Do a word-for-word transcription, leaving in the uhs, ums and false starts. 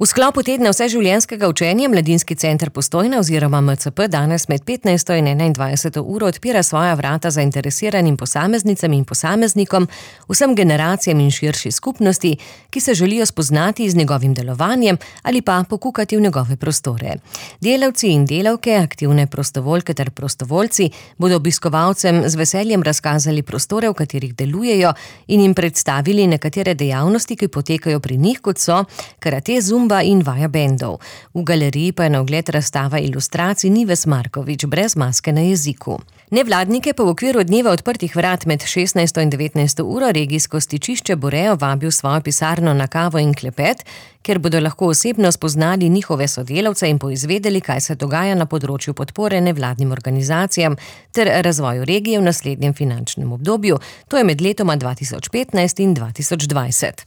V sklopu tedna vseživljenjskega učenja Mladinski center Postojna oziroma M C P danes med petnajsto in enaindvajseto uro odpira svoja vrata zainteresiranim posameznicam in posameznikom, vsem generacijam in širši skupnosti, ki se želijo spoznati z njegovim delovanjem ali pa pokukati v njegove prostore. Delavci in delavke, aktivne prostovoljke ter prostovoljci bodo obiskovalcem z veseljem razkazali prostore, v katerih delujejo, in jim predstavili nekatere dejavnosti, ki potekajo pri njih, kot so karate, zumba in vaja bendov. V galeriji pa je na ogled razstava ilustracij Nives Markovič brez maske na jeziku. Nevladnike pa v okviru dneva odprtih vrat med šestnajsto in devetnajsto uro regijsko stičišče Borejo vabi v svojo pisarno na kavo in klepet, kjer bodo lahko osebno spoznali njihove sodelavce in poizvedeli, kaj se dogaja na področju podpore nevladnim organizacijam ter razvoju regije v naslednjem finančnem obdobju, to je med letoma dva tisoč petnajst in dva tisoč dvajset.